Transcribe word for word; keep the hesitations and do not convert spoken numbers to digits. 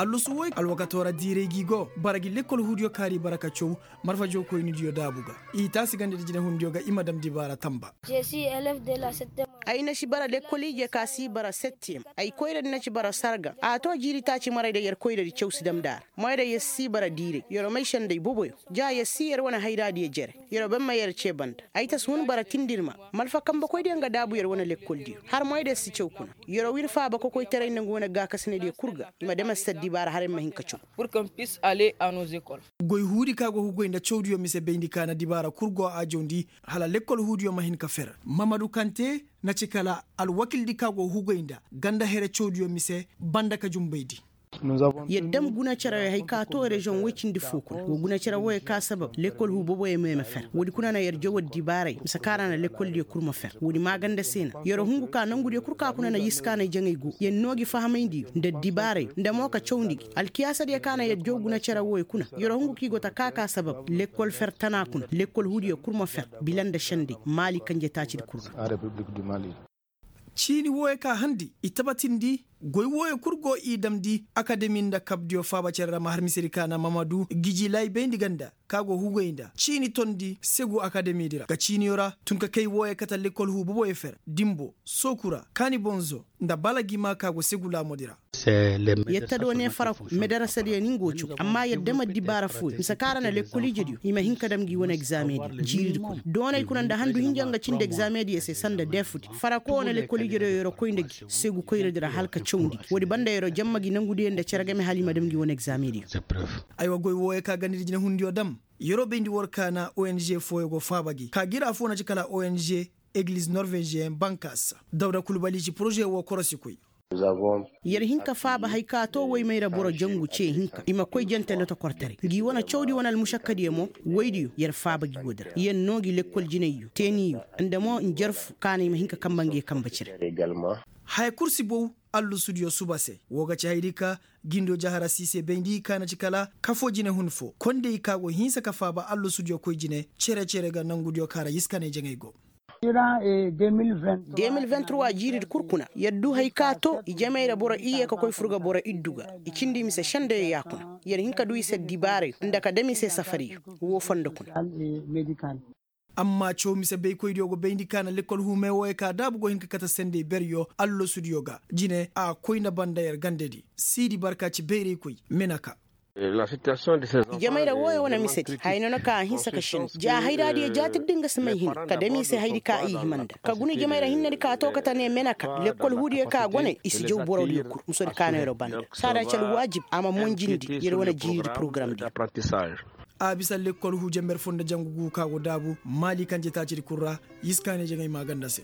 Lusu woy alwakatoo ra diiray g'i go bara gi lekkol huudiyo kaari bara ka caw marfa jookoynidiyo daabu ga. I taasi ganda di jinehundiyo ga i ma dam dibaara tamba. Ay na ci bara lekkol ije ka si bara settiyem. Ay koyradi na ci bara sarga a too jiiri taaci maray da yer koyradi caw si dam nda a ra. Moy da yer si bara diiray yer may senday boboyo. Ja yer si yer wane hayraadiyo jere. Yer wo ban ma yer cee banda ay ta si hun bara tindirma. Malfa kambekoydiyo nga daabu yer wane lekkoldiyo har moy da yer si caw kuna. Yer wo wir faaba kokoytaray nda nga wane gaakasinadiyo kul ga. I ma dam yer si addibaara hala yer ma hin ka caw. Goy huudi ka go hugoy nda cawdiyo mise bayndi ka na dibaara kul go a jawndi. Hala lekkol huudiyo ma hin ka fer. Mamadu kante na ci kala alwakildi ka go hugoy nda ganda here cawdiyo mise banda ka junbaydi. Yer dam guna cere wey hay ka too reziyoŋ woy cindi foo kuna wa guna cere wooyo ka sabab lekkol huu boboyo ma yer ma fer woodi kuna na yer jaw addibaaray mise ka ra na lekkoldiyo kul ma fer woodi maaganda se na yer hungu ka nongudiyo kul ka kuna na yiskaanay jaŋay go yer noo gi fahamayndi yer nda addibaaray nda mo ka cawndi gi alkiyaasadiyo ka na yer jaw guna cere wooyo kuna. Yer hungu ka i go ta ka ka sabab lekkol fer tana kuna lekkol huudiyo kul ma fer bila nda senday maali kanje taacidi kul ra. Ciini wooyo ka handi i tabatindi goy wooyo kul go i damndi akademi nda kabdiyo faaba cere ra ma har misedi ka na mamadu giji laayibayndi ganda ka go hugoy nda ciini tondi segu akademidi ra ka ciiniyo ra tun ka kay wooyo kate lekkol huu boboyo fer dimbo sooku ra kaani bonzo nda balagima ka go segu laamoodi ra. Yetta do ne faraku medarasadiyo ni nga wo caw amma yadda ma dibaara fooyo mise ka ra na lekkol ijediyo i ma hin ka dam ngi wane egzaamediyo jiiridi kuna doonay kuna nda handu hinja nga cindi egzaamediyo se sanda defudi farako wane lekkol ijediyo yer wo koy nda gi segu koyradi ra hala ka cawndi gi woodi banda yer wo jamma gi nongudiyo nda cere game hala i ma dam ngi wane egzaamediyo. Aywa goy wooyo ka gandadi jinehundiyo dam yer wo bayndi war ka na ong fooyo go faaba gi ka gi ra foo na ci kala ong egiliz norveziyen bankas dawda kulbali ci poroze woo korosikoy. Yer hin ka faaba hay ka too woymayra boro jangu cee hinka i ma koy jante lotokortaray ngi wane cawdi wane almušakkadiyo mo woydiyo yer faaba gi woodi ra yer noo gi lekkol jinayyo teeniyo nda mo njarfu ka na i ma hin ka kamba ngi kamba cire. Haya kul si bow allusudiyo suba se woo ga ci hayadi ka gindo jahara siise bayndi ka na ci kala kafoo jinehun foo kondey ka go hinsa ka faaba allusudiyo koy jine cere-cere ga nongudiyo ka ra yiskaanay jaŋay go. De mil vingt trois jiiridi kul kuna yer du hay ka too ijamey ra boro iyye ka koy fur ga boro iddu ga i cindi i mise sendeyo ya kuna yer hin ka du i se dibaarayo nda ka dam i se safariyo woo fondo kuna. Amma caw mise baykoydiyo go bayndi ka na lekkol huumey wooyo ka daabu go hin ka kate sendey beryo allosudiyo ga jine a koy nda banda yer gandedi siidi barka ci bayraykoy. Menaka. Ijamey ra wooyo wane misedi haya noona ka a hinsa ka shin ja hayraadiyo jaatirdi nga si may hin ka dam i se hayadi ka i hima nda ka guna ijamey ra hinnedi ka too kate ne menaka lekkol huudiyo ka gone i si jaw borodiyo kul musodi ka no yer wo banda saada ci alwaajib a ma monjindi yer wane jiiridi porogaramdiyo. A bisa lekkol huu jamber foo nda jangu guu ka go daabu maali kanje taacidi kul ra yiskaanay jaŋay maaganda se.